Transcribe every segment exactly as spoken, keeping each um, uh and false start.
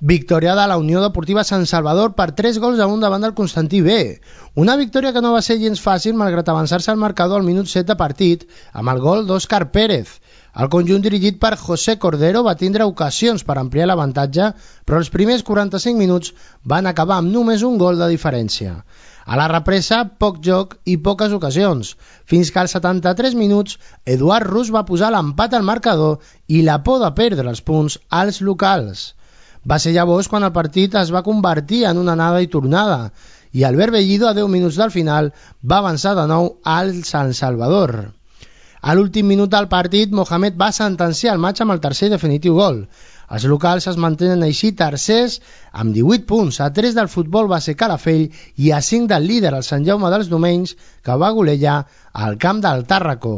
Victòria de la Unió Deportiva Sant Salvador per tres gols a un davant del Constantí B. Una victòria que no va ser gens fàcil malgrat avançar-se al marcador al minut set de partit amb el gol d'Òscar Pérez. El conjunt dirigit per José Cordero va tindre ocasions per ampliar l'avantatge, però els primers quaranta-cinc minuts van acabar amb només un gol de diferència. A la represa, poc joc i poques ocasions, fins que als setanta-tres minuts Eduard Rus va posar l'empat al marcador i la por de perdre els punts als locals. Va ser llavors quan el partit es va convertir en una anada i tornada i Albert Bellido, a deu minuts del final, va avançar de nou al Sant Salvador. A l'últim minut del partit, Mohamed va sentenciar el matx amb el tercer i definitiu gol. Els locals es mantenen així tercers amb divuit punts, a tres del Futbol Base Calafell i a cinc del líder, el Sant Jaume dels Domenys, que va golejar al camp del Tàrraco.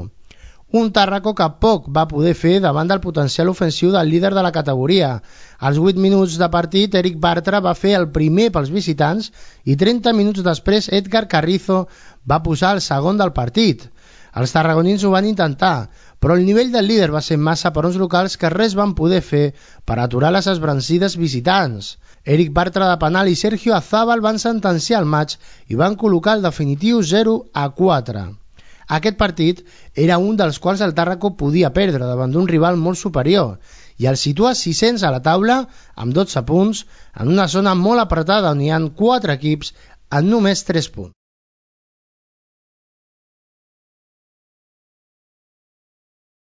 Un Tàrraco que poc va poder fer davant del potencial ofensiu del líder de la categoria. Als vuit minuts de partit, Eric Bartra va fer el primer pels visitants i trenta minuts després Edgar Carrizo va posar el segon del partit. Els tarragonins ho van intentar, però el nivell del líder va ser massa per uns locals que res van poder fer per aturar les esbrancides visitants. Eric Bartra de penal i Sergio Azábal van sentenciar el matx i van col·locar el definitiu zero a quatre. Aquest partit era un dels quals el Tàrraco podia perdre davant d'un rival molt superior i el situa sis-cents a la taula amb dotze punts en una zona molt apretada on hi ha quatre equips en només tres punts.